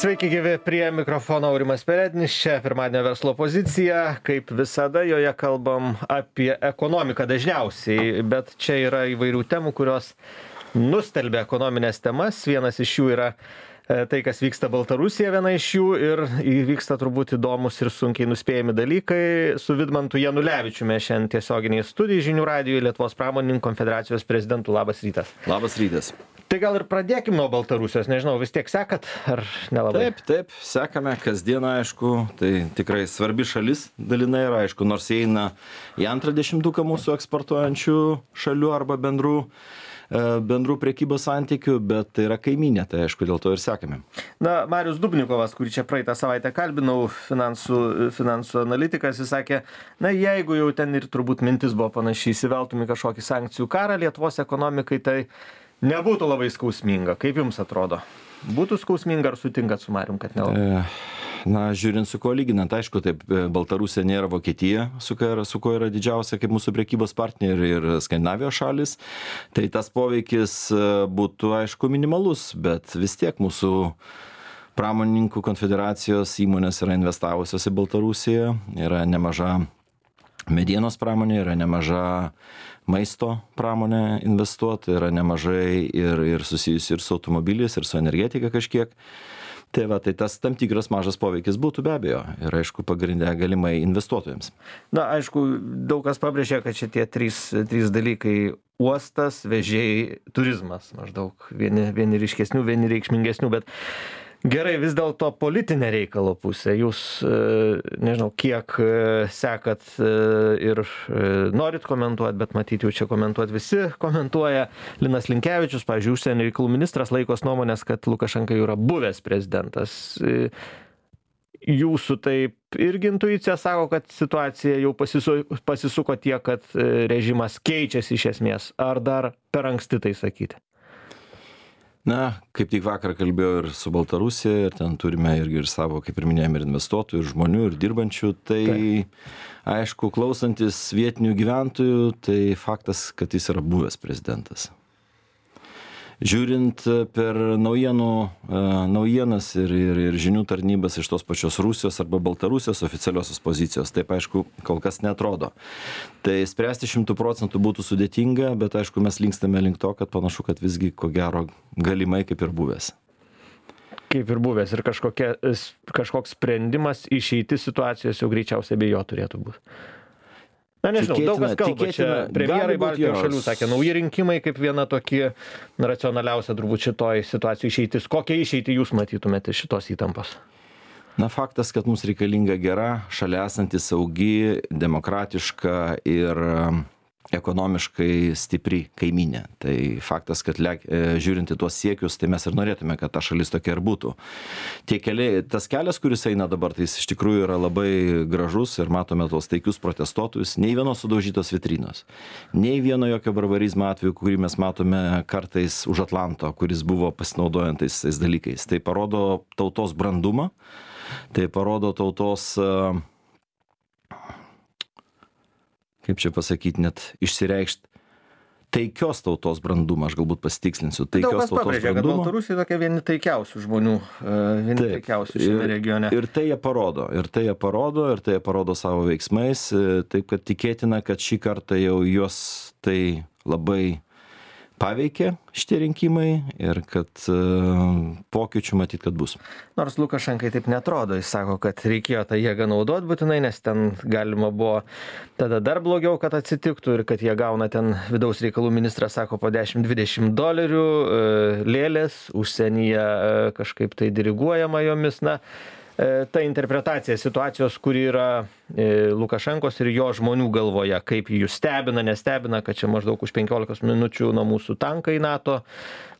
Sveiki gyvi, prie mikrofono Aurimas Perednis, čia pirmadienio verslo pozicija, kaip visada joje kalbam apie ekonomiką dažniausiai, bet čia yra įvairių temų, kurios nustelbia ekonominės temas. Vienas iš jų yra tai, kas vyksta Baltarusija, viena iš jų, ir įvyksta turbūt įdomus ir sunkiai nuspėjami dalykai. Su Vidmantu Janulevičiumi šiandien tiesioginiai studijai Žinių radijoje, Lietuvos pramonininkų konfederacijos prezidentu. Labas rytas. Labas rytas. Tai gal ir pradėkim nuo Baltarusijos, nežinau, vis tiek sekat ar nelabai? Taip, sekame kasdieną, aišku, tai tikrai svarbi šalis dalinai yra, aišku, nors įeina į antrą dešimtuką mūsų eksportuojančių šalių arba bendrų prekybos santykių, bet tai yra kaiminė, tai aišku, dėl to ir sekame. Na, Marius Dubnikovas, kurį čia praeitą savaitę kalbinau, finansų analitikas, jis sakė, na, jeigu jau ten ir turbūt mintis buvo panašiai, įsiveltum į kažkokį sankcijų karą Lietuvos ekonomikai, tai nebūtų labai skausminga. Kaip jums atrodo? Būtų skausminga ar sutinkat su Marium, kad nelabai? Na, žiūrint su kuo lyginant, aišku, taip, Baltarusija nėra Vokietija, su kuo yra didžiausia kaip mūsų prekybos partneriai ir Skandinavijos šalis. Tai tas poveikis būtų, aišku, minimalus, bet vis tiek mūsų pramonininkų konfederacijos įmonės yra investavusios į Baltarusiją, yra nemaža medienos pramonė, yra nemaža maisto pramonė investuota, yra nemažai ir susijusi ir su automobiliais, ir su energetika kažkiek. Tai va, tai tas tam tikras mažas poveikis būtų be abejo ir aišku pagrindė galimai investuotojams. Na, aišku, daug kas pabrėžė, kad šitie trys dalykai - uostas, vežėjai, turizmas maždaug. Vieni ryškesnių, vieni reikšmingesnių, bet gerai, vis dėlto politinė reikalo pusė. Jūs, nežinau, kiek sekat ir norit komentuoti, bet matyt, jau čia komentuoti visi komentuoja. Linas Linkevičius, pavyzdžiui, užsienio reikalų ministras, laikos nuomonės, kad Lukašenka jau yra buvęs prezidentas. Jūsų taip irgi intuicija sako, kad situacija jau pasisuko tiek, kad režimas keičiasi iš esmės. Ar dar per anksti tai sakyti? Na, kaip tik vakar kalbėjau ir su Baltarusija, ir ten turime irgi ir savo, kaip ir minėjome, ir investuotojų, ir žmonių, ir dirbančių. Tai aišku, klausantis vietinių gyventojų, tai faktas, kad jis yra buvęs prezidentas. Žiūrint per naujienas ir žinių tarnybas iš tos pačios Rusijos arba Baltarusijos oficialiosios pozicijos, taip aišku, kol kas neatrodo. Tai spręsti 100% būtų sudėtinga, bet aišku, mes linkstame link to, kad panašu, kad visgi ko gero galimai kaip ir buvęs. Kaip ir buvęs ir kažkoks sprendimas išeiti situacijos jau greičiausiai be jo turėtų būti. Na, nežinau, daug kas kalba čia, premjerai Baltijos šalių sakė, nauji rinkimai kaip viena tokia racionaliausia turbūt šitoj situacijoj išeitis. Kokią išeitį jūs matytumėte šitos įtampos? Na, faktas, kad mums reikalinga gera, šalia esanti saugi, demokratiška ir ekonomiškai stipri kaiminė. Tai faktas, kad žiūrint į tuos siekius, tai mes ir norėtume, kad ta šalis tokia ir būtų. Tas kelias, kuris eina dabar, tai jis iš tikrųjų yra labai gražus ir matome tos taikius protestuotojus. Nei vienos sudaužytos vitrinos, nei vieno jokio barbarizmo atveju, kurį mes matome kartais už Atlanto, kuris buvo pasinaudojant tais dalykais. Tai parodo tautos brandumą, tai parodo tautos kaip čia pasakyti, net išsireikšti taikios tautos brandumą, aš galbūt pasitikslinsiu. Taikios tautos pabrėžia, brandumą. Kad Baltarusija tokia vieni taikiausių žmonių, taikiausių šiame regione. Ir tai jie parodo savo veiksmais, taip kad tikėtina, kad šį kartą jau juos tai labai paveikė šitie rinkimai ir kad pokyčių matyt, kad bus. Nors Lukašenkai taip netrodo, jis sako, kad reikėjo tą jėgą naudoti būtinai, nes ten galima buvo tada dar blogiau, kad atsitiktų ir kad jie gauna ten vidaus reikalų ministras, sako, po $10-20 lėlės, užsienyje kažkaip tai diriguojama jomis. Na, ta interpretacija situacijos, kuri yra Lukašenkos ir jo žmonių galvoje, kaip jų stebina, nestebina, kad čia maždaug už 15 minučių nuo mūsų tankai NATO,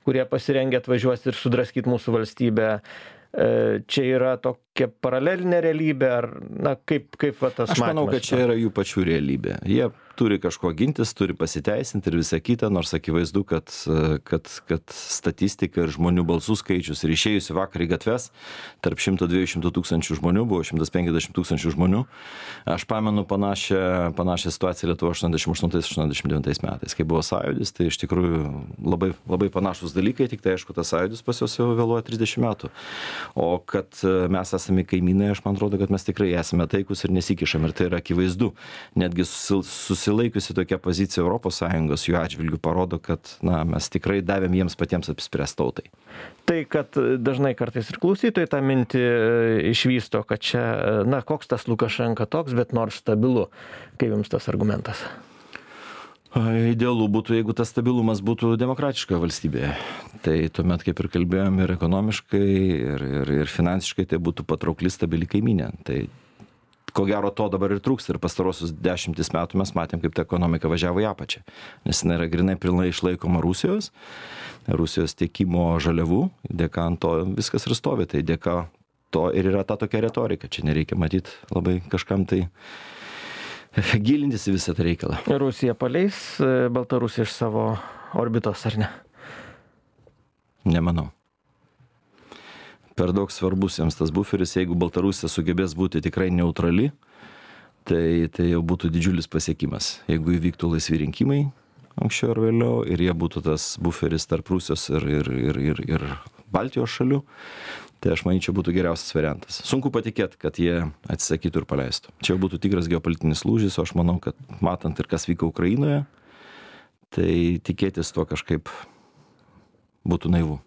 kurie pasirengę atvažiuos ir sudraskyti mūsų valstybę. Čia yra kažkokia paralelinė realybė, ar, na, kaip va tas matymas? Aš manau, kad čia yra jų pačių realybė. Jie turi kažko gintis, turi pasiteisinti ir visą kitą, nors akivaizdu, kad statistika ir žmonių balsų skaičius ir išėjusių vakar į gatves tarp 100-200 tūkstančių žmonių buvo 150 tūkstančių žmonių. Aš pamenu panašią situaciją Lietuvoje 88-89 metais, kai buvo sąjūdis, tai iš tikrųjų labai, labai panašus dalykai, tik tai aišku, tas sąjūdis pas juos jau vėluoja 30 metų. O kad mes esame kaimynai, aš man atrodo, kad mes tikrai esame taikus ir nesikišam ir tai yra akivaizdu. Netgi susilaikiusi tokia pozicija ES jų atžvilgių parodo, kad mes tikrai davėm jiems patiems apsispręsti tautai. Tai, kad dažnai kartais ir klausytojai tą mintį išvysto, kad čia, koks tas Lukašenka toks, bet nors stabilu. Kaip jums tas argumentas? Idealu būtų, jeigu tas stabilumas būtų demokratiškoje valstybėje. Tai tuomet, kaip ir kalbėjom, ir ekonomiškai, ir finansiškai tai būtų patraukli stabili kaimynė. Tai ko gero to dabar ir trūksta ir pastarosius 10 metų mes matėm, kaip ta ekonomika važiavo į apačią. Nes jinai yra grinai pilnai išlaikoma Rusijos tiekimo žaliavų, dėka ant to viskas ir stovi. Tai dėka to ir yra ta tokia retorika. Čia nereikia matyti labai kažkam tai gilintis į visą tą reikalą. Rusija paleis Baltarusiją iš savo orbitos, ar ne? Nemanau. Per daug svarbus jiems tas buferis, jeigu Baltarusija sugebės būti tikrai neutrali, tai jau būtų didžiulis pasiekimas. Jeigu įvyktų laisvi rinkimai anksčiau ar vėliau ir jie būtų tas buferis tarp Rusijos ir Baltijos šalių, tai aš manyčiau būtų geriausias variantas. Sunku patikėti, kad jie atsisakytų ir paleistų. Čia būtų tikras geopolitinis lūžis, o aš manau, kad matant ir kas vyko Ukrainoje, tai tikėtis to kažkaip būtų naivu.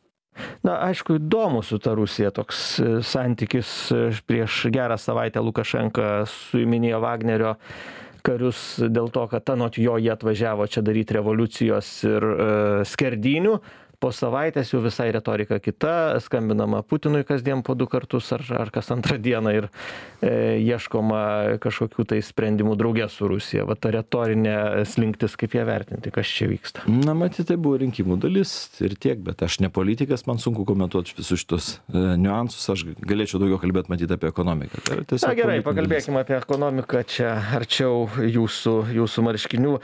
Aišku, įdomu su ta Rusija toks santykis. Prieš gerą savaitę Lukašenka suiminėjo Vagnerio karius dėl to, kad anot jo jie atvažiavo čia daryti revoliucijos ir skerdynių. Po savaitės jau visai retorika kita, skambinama Putinui kasdien po 2 kartus ar kas antrą dieną ir ieškoma kažkokių tai sprendimų draugė su Rusija. Va ta retorinė slinktis, kaip ją vertinti, kas čia vyksta? Matyt, tai buvo rinkimų dalis ir tiek, bet aš ne politikas, man sunku komentuoti visus šitos niuansus, aš galėčiau daugiau kalbėti matyti apie ekonomiką. Gerai, pakalbėkime apie ekonomiką, čia arčiau jūsų marškinių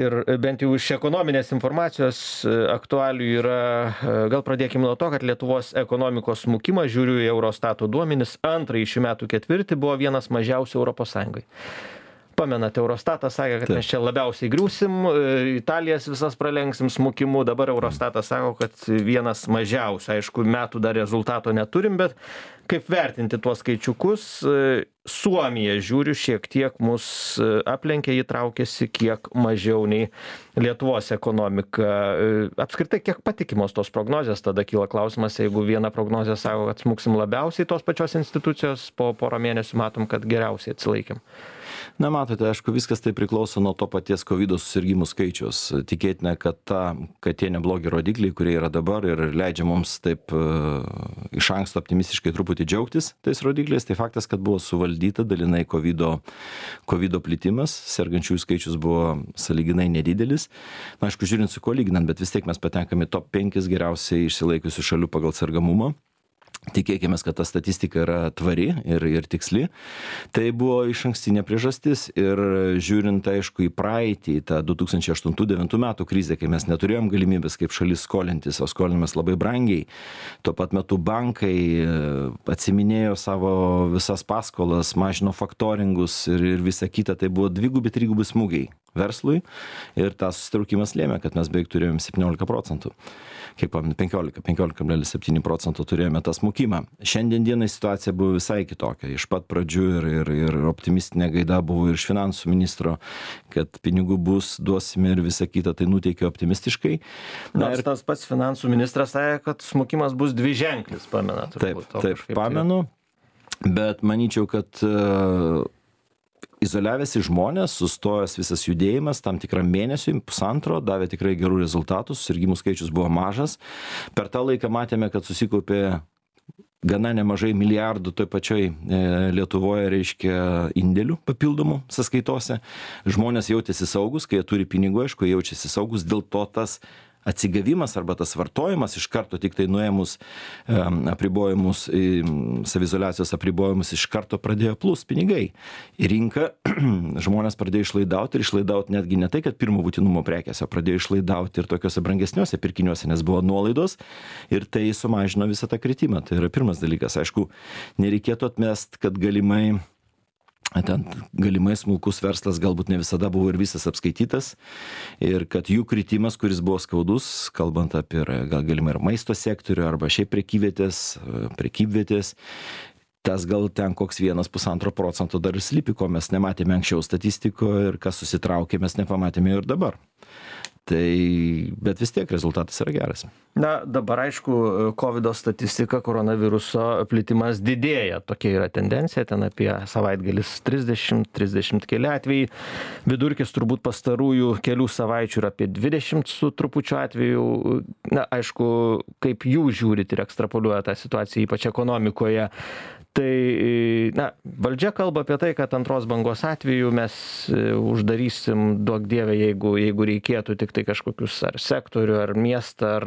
ir bent jau iš ekonominės informacijos aktualių yra. Gal pradėkime nuo to, kad Lietuvos ekonomikos smukimas, žiūriu į Eurostato duomenis, antrąjį šių metų ketvirtį buvo vienas mažiausių Europos Sąjungai. Pamenate, Eurostatas sakė, kad mes čia labiausiai griūsim, Italijas visas pralenksim smukimu, dabar Eurostatas sako, kad vienas mažiausių. Aišku, metų dar rezultato neturim, bet kaip vertinti tuos skaičiukus? Suomija, žiūriu, šiek tiek mus aplenkė, jį traukėsi kiek mažiau nei Lietuvos ekonomika. Apskritai, kiek patikimos tos prognozės? Tada kyla klausimas, jeigu viena prognozė sako, kad smuksim labiausiai, tos pačios institucijos po porą mėnesių matom, kad geriausiai atsilaikėm. Matote, aišku, viskas tai priklauso nuo to paties COVID susirgimų skaičius. Tikėtina, kad tie neblogi rodikliai, kurie yra dabar ir leidžia mums taip iš anksto optimistiškai truputį džiaugtis tais rodikliais, tai faktas, kad buvo suvaldyta dalinai COVID plitimas, sergančiųjų skaičius buvo sąlyginai nedidelis. Aišku, žiūrint su kuo lyginant, bet vis tiek mes patenkame top 5 geriausiai išsilaikusių šalių pagal sergamumą. Tikėkime, kad ta statistika yra tvari ir tiksli. Tai buvo išankstinė priežastis ir žiūrint, aišku, į praeitį, tą 2008-2009 metų krizę, kai mes neturėjom galimybės kaip šalis skolintis, o skolinimės labai brangiai. Tuo pat metu bankai atsiminėjo savo visas paskolas, mažino faktoringus ir visa kita. Tai buvo 2-3 smūgiai verslui ir tas susitraukimas lėmė, kad mes beveik turėjom 17%. Kiek pamenu, 15,7% turėjome tą smukimą. Šiandien dienai situacija buvo visai kitokia. Iš pat pradžių ir optimistinė gaida buvo ir iš finansų ministro, kad pinigų bus, duosime ir visa kita, tai nuteikė optimistiškai. Ir tas pats finansų ministras sakė, kad smukimas bus dviženklis, pamenat? Taip, pamenu, bet manyčiau, kad izoliavęsi žmonės, sustojęs visas judėjimas tam tikram mėnesiui, pusantro, davė tikrai gerų rezultatų, susirgimų skaičius buvo mažas. Per tą laiką matėme, kad susikaupė gana nemažai milijardų toj pačioj Lietuvoje, reiškia, indėlių papildomų sąskaitose. Žmonės jautėsi saugus, kai jie turi pinigų, aišku, jaučiasi saugus, dėl to tas atsigavimas arba tas vartojimas iš karto tik tai nuėmus apribojimus, saviizoliacijos apribojimus iš karto pradėjo plus pinigai. Į rinką žmonės pradėjo išlaidauti ir išlaidauti netgi ne tai, kad pirmo būtinumo prekėse, pradėjo išlaidauti ir tokiuose brangesniuose pirkiniuose, nes buvo nuolaidos ir tai sumažino visą tą kritimą. Tai yra pirmas dalykas. Aišku, nereikėtų atmest, kad galimai smulkus verslas galbūt ne visada buvo ir visas apskaitytas ir kad jų kritimas, kuris buvo skaudus, kalbant apie gal galimai ir maisto sektorių arba šiaip prekybvietės, tas gal ten koks 1–1,5% dar ir slypi, ko mes nematėme anksčiau statistikoje ir kas susitraukė, mes nepamatėme ir dabar. Bet vis tiek rezultatas yra geras. Na, dabar aišku, COVID statistika, koronaviruso plitimas didėja. Tokia yra tendencija, ten apie savaitgalis 30 keli atvejai. Vidurkis turbūt pastarųjų kelių savaičių yra apie 20 su trupučiu atvejų. Na, aišku, kaip jūs žiūrit ir ekstrapoliuoja tą situaciją, ypač ekonomikoje. Tai, na, valdžia kalba apie tai, kad antros bangos atveju mes uždarysim, duok dieve, jeigu reikėtų tik tai kažkokius ar sektorių, ar miestą, ar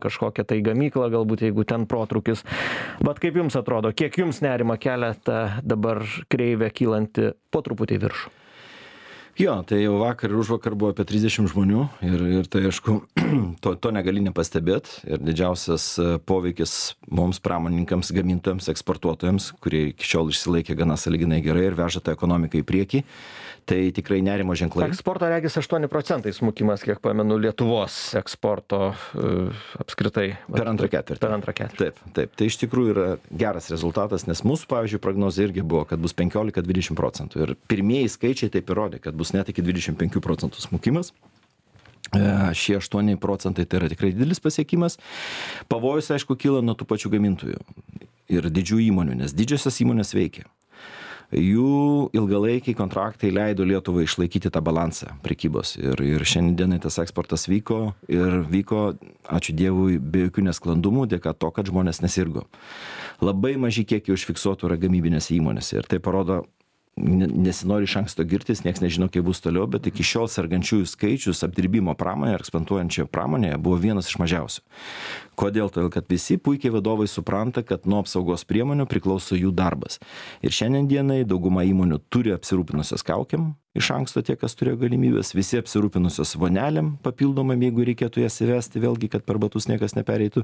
kažkokią tai gamyklą, galbūt jeigu ten protrūkis. Bet kaip jums atrodo, kiek jums nerima kelia ta dabar kreivė kylanti po truputį viršų? Jo, tai jau vakar ir užvakar buvo apie 30 žmonių ir tai aišku, to negali nepastebėti ir didžiausias poveikis mums pramonininkams, gamintojams, eksportuotojams, kurie iki šiol išsilaikė gana sąlyginai gerai ir veža tą ekonomiką į priekį, tai tikrai nerimo ženklai. Eksporto regis 8% smukimas, kiek pamenu, Lietuvos eksporto apskritai. Per antrą ketvirtį. Taip. Tai iš tikrųjų yra geras rezultatas, nes mūsų, pavyzdžiui, prognozė irgi buvo, kad bus 15–20%. Ir pirmieji skaičiai taip įrodė, kad bus net iki 25% smukimas. Šie 8% tai yra tikrai didelis pasiekimas. Pavojus, aišku, kyla nuo tų pačių gamintojų ir didžių įmonių, nes didžiosios įmonės veikia. Jų ilgalaikiai kontraktai leido Lietuvai išlaikyti tą balansą prekybos. Ir šiandienai tas eksportas vyko, ačiū Dievui, be jokių nesklandumų, dėka to, kad žmonės nesirgo. Labai maži kiekiai užfiksuotų yra gamybinėse įmonėse ir tai parodo, nesinori iš anksto girtis, nieks nežino, kaip bus toliau, bet iki šiol sergančiųjų skaičius apdirbimo pramonėje ir eksploatuojančioje pramonėje buvo vienas iš mažiausių. Kodėl? Todėl, kad visi puikiai vadovai supranta, kad nuo apsaugos priemonių priklauso jų darbas. Ir šiandien dienai dauguma įmonių turi apsirūpinusios kaukiam, iš anksto tie, kas turėjo galimybės, visi apsirūpinusios vonelėm papildomam, jeigu reikėtų jas įvesti, vėlgi, kad per batus niekas nepereitų.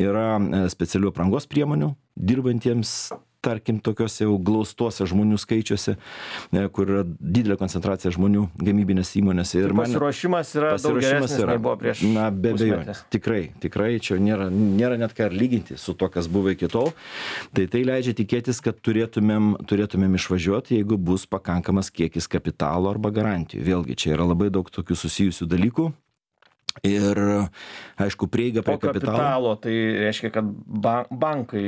Yra specialių aprangos priemonių dirbantiems, tarkim, tokiuose jau glaustuose žmonių skaičiuose, kur yra didelė koncentracija žmonių gamybinės įmonėse. Ir pasiruošimas yra daug geresnis, nei buvo prieš pusmetį. Na, be abejonės. Tikrai, čia nėra net ką ir lyginti su to, kas buvo iki tol. Tai leidžia tikėtis, kad turėtumėm išvažiuoti, jeigu bus pakankamas kiekis kapitalo arba garantijų. Vėlgi, čia yra labai daug tokių susijusių dalykų. Ir, aišku, prieiga prie kapitalo, tai reiškia, kad bankai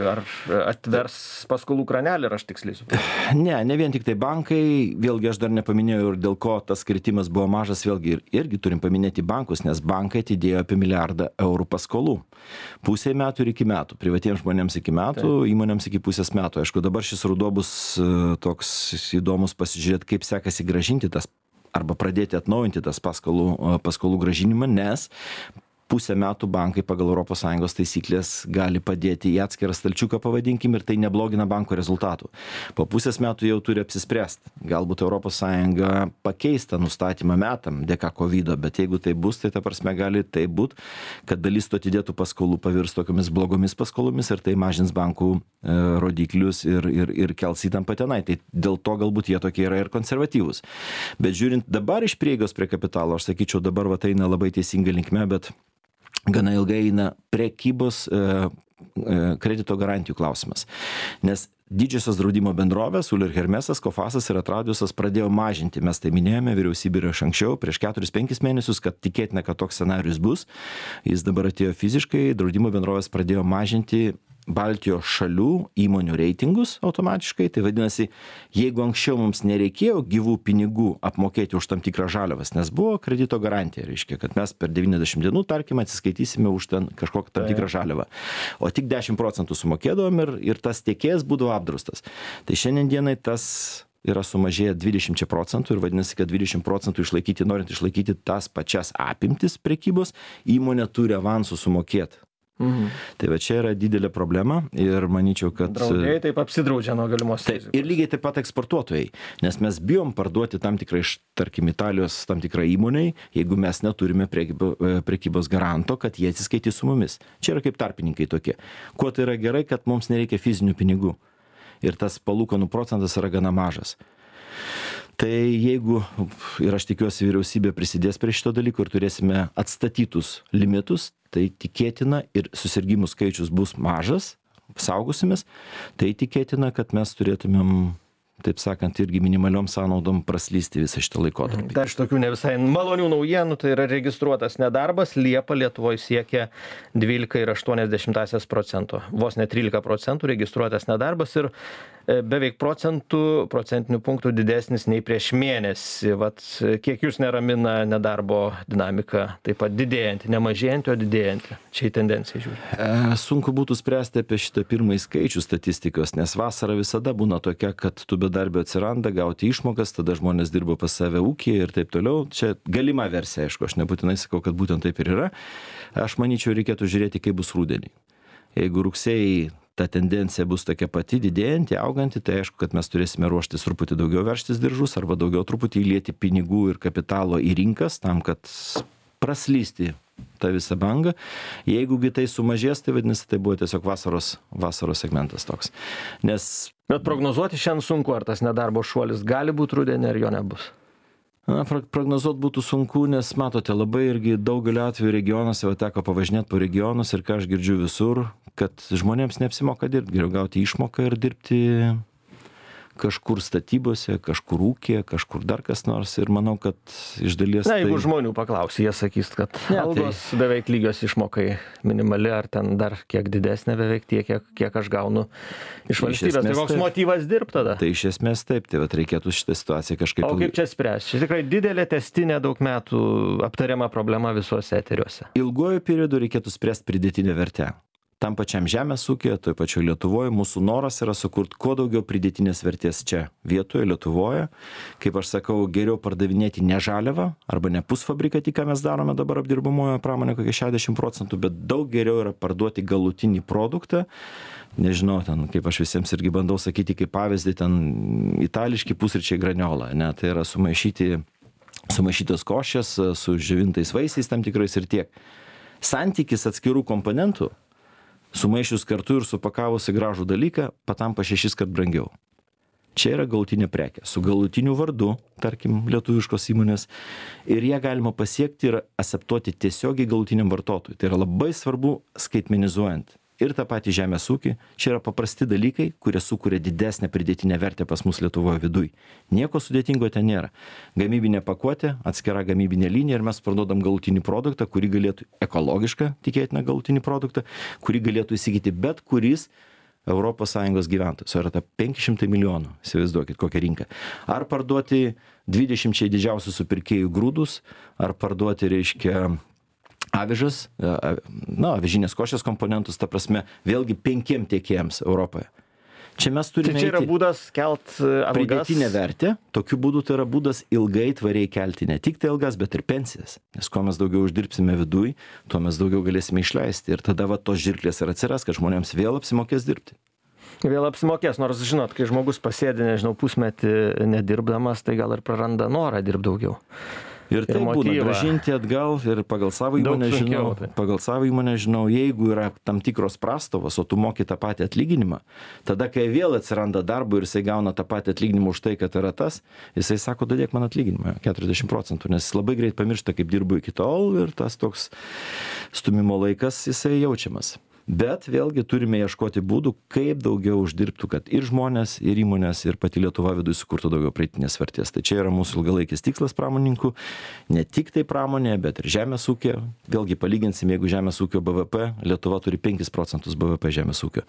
ar atvers paskolų kranelį, ar aš tiksliai suprantu? Ne vien tik tai bankai, vėlgi aš dar nepaminėjau ir dėl ko tas kritimas buvo mažas, vėlgi irgi turim paminėti bankus, nes bankai atidėjo apie 1 milijardą eurų paskolų. Pusė metų ir iki metų, privatiems žmonėms iki metų, įmonėms iki pusės metų. Aišku, dabar šis ruduo bus toks įdomus pasižiūrėti, kaip sekasi grąžinti tas arba pradėti atnaujinti tas paskolų grąžinimą, nes pusę metų bankai pagal ES taisyklės gali padėti į atskirą stalčiuką, pavadinkim, ir tai neblogina banko rezultatų. Po pusės metų jau turi apsispręsti. Galbūt ES pakeis tą nustatymą metam dėka COVID, bet jeigu tai bus, tai ta prasme gali tai būti, kad dalis to atidėtų paskolų pavirs tokiamis blogomis paskolomis ir tai mažins bankų rodiklius ir kels įtampą tenai. Tai dėl to galbūt jie tokie yra ir konservatyvūs. Bet žiūrint dabar iš prieigos prie kapitalo, aš sakyčiau, dabar eina labai teisinga linkme, bet gana ilgai eina prekybos kredito garantijų klausimas. Nes didžiosios draudimo bendrovės, Uller Hermesas, Kofasas ir Atradiusas pradėjo mažinti. Mes tai minėjome, vyriausybė ir anksčiau, prieš 4-5 mėnesius, kad tikėtina, kad toks scenarius bus. Jis dabar atėjo fiziškai, draudimo bendrovės pradėjo mažinti Baltijos šalių įmonių reitingus automatiškai. Tai vadinasi, jeigu anksčiau mums nereikėjo gyvų pinigų apmokėti už tam tikrą žaliavas, nes buvo kredito garantija, reiškia, kad mes per 90 dienų, tarkim, atsiskaitysime už ten kažkokią tam tikrą žaliavą. O tik 10% sumokėdavom ir tas tiekėjas būdavo apdraustas. Tai šiandien dienai tas yra sumažėję 20% ir vadinasi, kad 20% išlaikyti, norint išlaikyti tas pačias apimtis prekybos, įmonė turi avansų sumokėti. Tai va čia yra didelė problema ir manyčiau, kad... Draudėjai taip apsidraudžia nuo galimos rizikos. Ir lygiai taip pat eksportuotojai, nes mes bijom parduoti tam tikrą iš, tarkim, Italijos tam tikrą įmoniai, jeigu mes neturime prekybos garanto, kad jie atsiskaitys su mumis. Čia yra kaip tarpininkai tokie. Kuo tai yra gerai, kad mums nereikia fizinių pinigų ir tas palūkanų procentas yra gana mažas. Tai jeigu, ir aš tikiuosi, vyriausybė prisidės prie šito dalyko ir turėsime atstatytus limitus, tai tikėtina ir susirgymų skaičius bus mažas, saugosimės, tai tikėtina, kad mes turėtumėm, taip sakant, irgi minimaliom sąnaudom praslysti visą šitą laikotarpį. Dar iš tokių ne visai malonių naujienų, tai yra registruotas nedarbas. Liepą Lietuvoje siekia 12,8%. Vos ne 13% registruotas nedarbas ir beveik procentinių punktų didesnis nei prieš mėnesį. Vat kiek jūs neramina nedarbo dinamika, taip pat didėjanti, ne mažėjanti, o didėjanti. Čia į tendenciją žiūri. Sunku būtų spręsti apie šitą pirmąjį skaičių statistikos, nes vasara visada būna tokia, kad tų bedarbio atsiranda, gauti išmokas, tada žmonės dirba pas save ūkyje ir taip toliau. Čia galima versija, aišku, aš nebūtinai sakau, kad būtent taip ir yra. Aš manyčiau, reikėtų žiūrėti, kaip bus rudenį. Jeigu rugsėjai ta tendencija bus tokia pati, didėjanti, auganti, tai aišku, kad mes turėsime ruoštis truputį daugiau veržtis diržus arba daugiau truputį įlieti pinigų ir kapitalo į rinkas tam, kad praslysti tą visą bangą. Jeigu tai sumažės, tai vadinasi, tai buvo tiesiog vasaros segmentas toks. Bet prognozuoti šiandien sunku, ar tas nedarbo šuolis gali būti rudenį, ar jo nebus. Prognozuoti būtų sunku, nes matote, labai irgi daugelio atveju regionuose, va teko pavažinėti po regionus ir ką aš girdžiu visur, kad žmonėms neapsimoka dirbti, geriau gauti išmoką ir dirbti kažkur statybose, kažkur ūkė, kažkur dar kas nors ir manau, kad iš dalies... Na, jeigu žmonių paklausi, jie sakys, kad algos beveik lygios išmokai minimali, ar ten dar kiek didesnė beveik tiek, kiek aš gaunu iš valstybės. Tai koks motyvas dirbti tada? Tai iš esmės taip, tai vat reikėtų šitą situaciją kažkaip... O kaip čia spręsti? Čia tikrai didelė testinė daug metų aptariama problema visuose eteriuose. Ilguoju periodu reikėtų spręsti pridėtinę vertę. Tam pačiam žemės ūkyje, toj pačioj Lietuvoje, mūsų noras yra sukurti kuo daugiau pridėtinės vertės čia, vietoje, Lietuvoje. Kaip aš sakau, geriau pardavinėti ne žaliavą arba ne pusfabrikatį, ką mes darome dabar apdirbamojo pramonė, kokie 60%, bet daug geriau yra parduoti galutinį produktą. Nežinau, ten, kaip aš visiems irgi bandau sakyti, kaip pavyzdį, ten itališki pusryčiai graniola, ne, tai yra sumaišytos košės su džiovintais vaisiais tam tikrais ir tiek. Santykis atskirų komponentų sumaišius kartu ir supakavus į gražų dalyką, patampa 6 kart brangiau. Čia yra galutinė prekė, su galutiniu vardu, tarkim, lietuviškos įmonės, ir ją galima pasiekti ir aseptuoti tiesiogiai galutiniam vartotojui. Tai yra labai svarbu skaitmenizuojant ir tą patį žemės ūkį. Čia yra paprasti dalykai, kurie sukuria didesnę pridėtinę vertę pas mus Lietuvoje viduj. Nieko sudėtingo ten nėra. Gamybinė pakuotė, atskira gamybinė linija ir mes parduodam galutinį produktą, kurį galėtų ekologišką, tikėtina galutinį produktą, kurį galėtų įsigyti bet kuris ES gyventojas. Yra ta 500 milijonų, įsivaizduokit kokią rinką. Ar parduoti 20 didžiausių supirkėjų grūdus, ar parduoti, reiškia, avižas, avižinės košės komponentus, ta prasme, vėlgi 5 tiekėjams Europoje. Čia mes turime... Tai čia yra būdas kelt algas. Pridėtinę vertę, tokiu būdu tai yra būdas ilgai tvariai kelti ne tik tai algas, bet ir pensijas. Nes kuo mes daugiau uždirbsime viduj, tuo mes daugiau galėsime išleisti. Ir tada va tos žirklės ir atsiras, kad žmonėms vėl apsimokės dirbti. Vėl apsimokės, nors žinot, kai žmogus pasėdi, nežinau, pusmetį nedirbdamas, tai gal ir praranda norą dirbti daugiau. Ir tai būna grąžinti atgal ir pagal savo įmonę žinau, jeigu yra tam tikros prastovos, o tu moki tą patį atlyginimą, tada kai vėl atsiranda darbo ir jisai gauna tą patį atlyginimą už tai, kad yra tas, jisai sako, dadėk man atlyginimą 40%, nes jis labai greit pamiršta, kaip dirbu iki tol ir tas toks stumimo laikas jisai jaučiamas. Bet vėlgi turime ieškoti būdų, kaip daugiau uždirbtų, kad ir žmonės, ir įmonės, ir pati Lietuva viduje sukurtų daugiau pridėtinės vertės. Tai čia yra mūsų ilgalaikis tikslas pramonininkų, ne tik tai pramonė, bet ir žemės ūkio. Vėlgi palyginsim, jeigu žemės ūkio BVP, Lietuva turi 5% BVP žemės ūkio.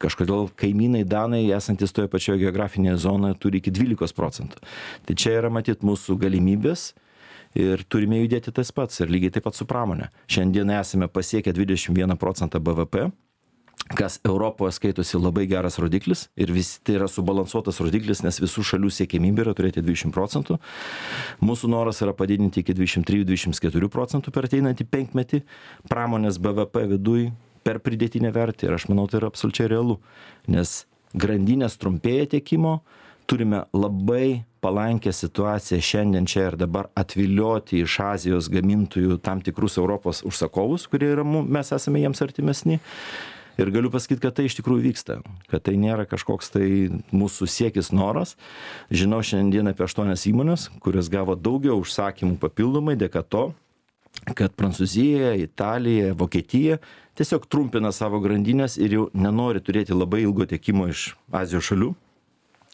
Kažkodėl kaimynai danai, esantis toje pačioje geografinėje zonoje, turi iki 12%. Tai čia yra matyt mūsų galimybės. Ir turime judėti tas pats ir lygiai taip pat su pramonė. Šiandien esame pasiekę 21% BVP, kas Europoje skaitosi labai geras rodiklis ir tai yra subalansuotas rodiklis, nes visų šalių siekimybė yra turėti 20%. Mūsų noras yra padidinti iki 23-24% per ateinantį 5 metį pramonės BVP viduj per pridėtinę vertę ir aš manau, tai yra absoliučiai realu, nes grandinės trumpėja tiekimo, turime labai palankę situaciją šiandien čia ir dabar atvilioti iš Azijos gamintojų tam tikrus Europos užsakovus, kurie yra, mes esame jiems artimesni. Ir galiu pasakyti, kad tai iš tikrųjų vyksta, kad tai nėra kažkoks tai mūsų siekis noras. Žinau šiandien apie 8 įmonės, kurios gavo daugiau užsakymų papildomai dėka to, kad Prancūzija, Italija, Vokietija tiesiog trumpina savo grandinės ir jau nenori turėti labai ilgo tiekimo iš Azijos šalių,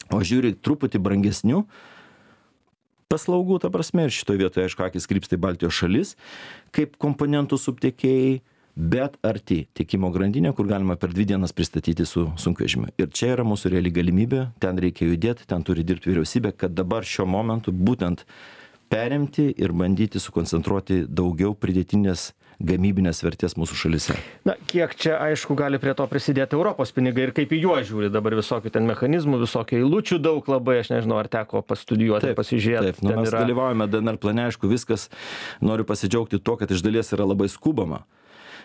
o žiūri truputį brangesnių paslaugų, ta prasme, ir šitoje vietoje, aišku, akis krypsta į Baltijos šalis, kaip komponentų subtiekėjai, bet arti tiekimo grandinė, kur galima per 2 dienas pristatyti su sunkvežimiu. Ir čia yra mūsų reali galimybė, ten reikia judėti, ten turi dirbti vyriausybė, kad dabar šiuo momentu būtent perimti ir bandyti sukoncentruoti daugiau pridėtinės gamybinės vertės mūsų šalyse. Na, kiek čia, aišku, gali prie to prisidėti Europos pinigai ir kaip į juos žiūri dabar visokių ten mechanizmų, visokių eilučių daug labai, aš nežinau, ar teko pastudijuoti, pasižiūrėti. Taip, mes dalyvaujame DNR plane, aišku, viskas, noriu pasidžiaugti tuo, kad iš dalies yra labai skubama.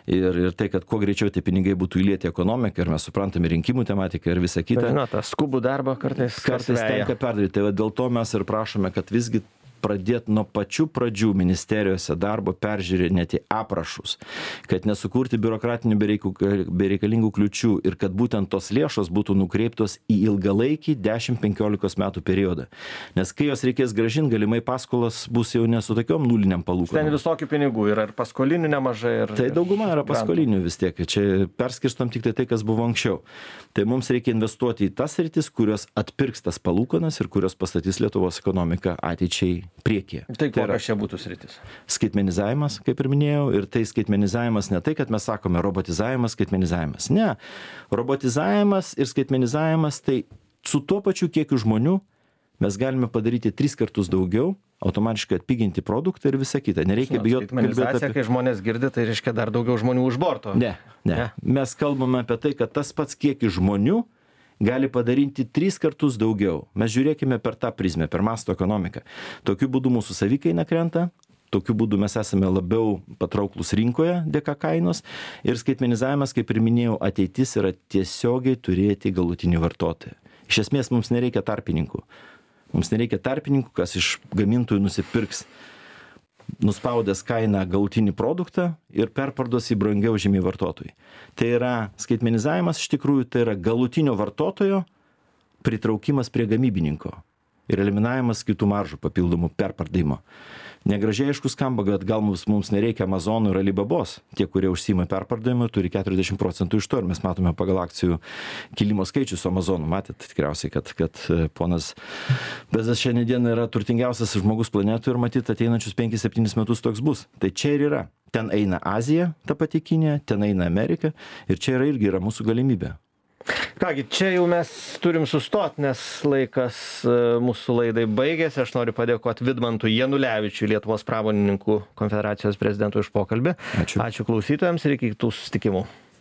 Ir tai, kad kuo greičiau tie pinigai būtų įlieti ekonomiką ir mes suprantame rinkimų tematiką ir visą kitą. Na, tą skubų darbą kartais tenka perdaryti. Tai dėl to mes ir prašome, kad visgi pradėti nuo pačių pradžių ministerijose darbo peržiūrinėti aprašus, kad nesukurti biurokratinių bereikalingų kliučių ir kad būtent tos lėšos būtų nukreiptos į ilgalaikį 10-15 metų periodą. Nes kai jos reikės grąžinti, galimai paskolos bus jau ne su tokiom nuliniam palūkanom. Ten visokių pinigų yra ir paskolinių nemažai. Tai dauguma yra paskolinių vis tiek. Čia perskirstom tik tai, kas buvo anksčiau. Tai mums reikia investuoti į tas sritis, kurios atpirks tas palūkanas ir kurios pastatys Lietuvos ekonomiką ateičiai priekyje. Tai kokios čia būtų sritis? Skaitmenizavimas, kaip ir minėjau, ir tai skaitmenizavimas ne tai, kad mes sakome robotizavimas, skaitmenizavimas. Ne, robotizavimas ir skaitmenizavimas tai su tuo pačiu kiekiu žmonių mes galime padaryti 3 kartus daugiau, automatiškai atpiginti produktą ir visą kitą. Nereikia bijoti kalbėti apie... Kai žmonės girdi, tai reiškia dar daugiau žmonių už borto. Ne. Mes kalbame apie tai, kad tas pats kiekis žmonių gali padaryti 3 kartus daugiau. Mes žiūrėkime per tą prizmę, per masto ekonomiką. Tokiu būdu mūsų savikaina krenta, tokiu būdu mes esame labiau patrauklus rinkoje dėka kainos ir skaitmenizavimas, kaip ir minėjau, ateitis yra tiesiogiai turėti galutinį vartotoją. Iš esmės mums nereikia tarpininkų. Mums nereikia tarpininkų, kas iš gamintojų nusipirks nuspaudęs kainą galutinį produktą ir perparduos į brangiau žymiai vartotojui. Tai yra skaitmenizavimas, iš tikrųjų, tai yra galutinio vartotojo pritraukimas prie gamybininko ir eliminavimas kitų maržų papildomų perpardavimo. Negražiai aišku skamba, bet gal mums nereikia Amazonų ir Alibabos. Tie, kurie užsiima perpardavimu, turi 40% iš to ir mes matome pagal akcijų kilimo skaičius su Amazonu. Matėte tikriausiai, kad ponas Bezos šiandien yra turtingiausias žmogus planetoje ir matyt ateinančius 5-7 metus toks bus. Tai čia ir yra. Ten eina Azija, ta pati Kinija, ten eina Amerika ir čia irgi yra mūsų galimybė. Kągi, čia jau mes turim sustoti, nes laikas mūsų laidai baigėsi. Aš noriu padėkoti Vidmantui Janulevičiui, Lietuvos pramonininkų konfederacijos prezidentui, už pokalbį. Ačiū. Ačiū klausytojams ir iki kitų susitikimų.